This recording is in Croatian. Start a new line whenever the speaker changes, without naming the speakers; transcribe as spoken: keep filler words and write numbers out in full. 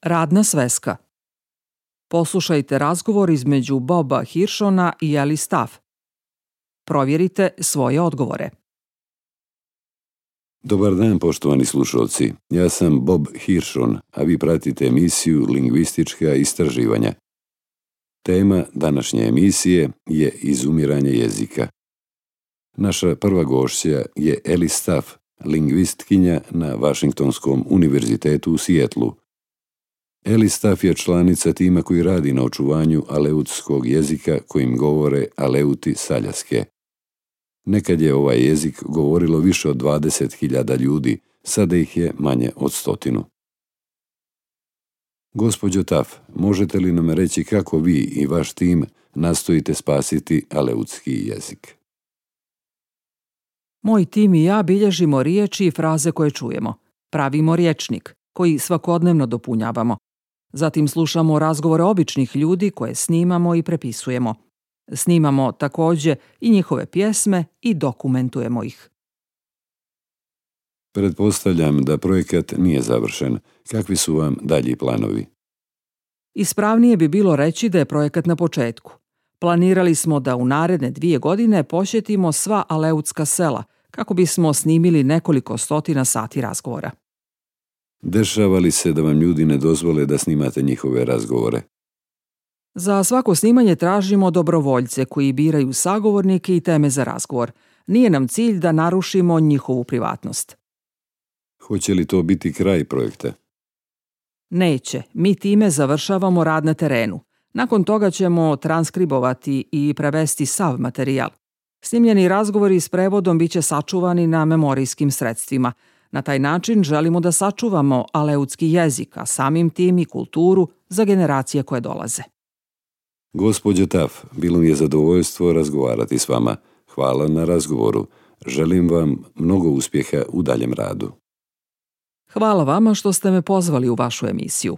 Radna sveska. Poslušajte razgovor između Boba Hirschona i Ellie Staff. Provjerite svoje odgovore.
Dobar dan, poštovani slušalci. Ja sam Bob Hirschon, a vi pratite emisiju Lingvistička istraživanja. Tema današnje emisije je izumiranje jezika. Naša prva gošća je Ellie Staff, lingvistkinja na Vašingtonskom univerzitetu u Sijetlu. Ellie Staff je članica tima koji radi na očuvanju aleutskog jezika kojim govore Aleuti s Aljaske. Nekad je ovaj jezik govorilo više od dvadeset hiljada ljudi, sada ih je manje od stotinu. Gospođo Taff, možete li nam reći kako vi i vaš tim nastojite spasiti aleutski jezik?
Moj tim i ja bilježimo riječi i fraze koje čujemo. Pravimo rječnik, koji svakodnevno dopunjavamo. Zatim slušamo razgovore običnih ljudi koje snimamo i prepisujemo. Snimamo također i njihove pjesme i dokumentujemo ih.
Pretpostavljam da projekat nije završen. Kakvi su vam dalji planovi?
Ispravnije bi bilo reći da je projekat na početku. Planirali smo da u naredne dvije godine posjetimo sva aleutska sela, kako bismo snimili nekoliko stotina sati razgovora.
Dešava li se da vam ljudi ne dozvole da snimate njihove razgovore?
Za svako snimanje tražimo dobrovoljce koji biraju sagovornike i teme za razgovor. Nije nam cilj da narušimo njihovu privatnost.
Hoće li to biti kraj projekta?
Neće. Mi time završavamo rad na terenu. Nakon toga ćemo transkribovati i prevesti sav materijal. Snimljeni razgovori s prevodom biće sačuvani na memorijskim sredstvima. Na taj način želimo da sačuvamo aleutski jezik, a samim tim i kulturu za generacije koje dolaze.
Gospođo Taff, bilo mi je zadovoljstvo razgovarati s vama. Hvala na razgovoru. Želim vam mnogo uspjeha u daljem radu.
Hvala vama što ste me pozvali u vašu emisiju.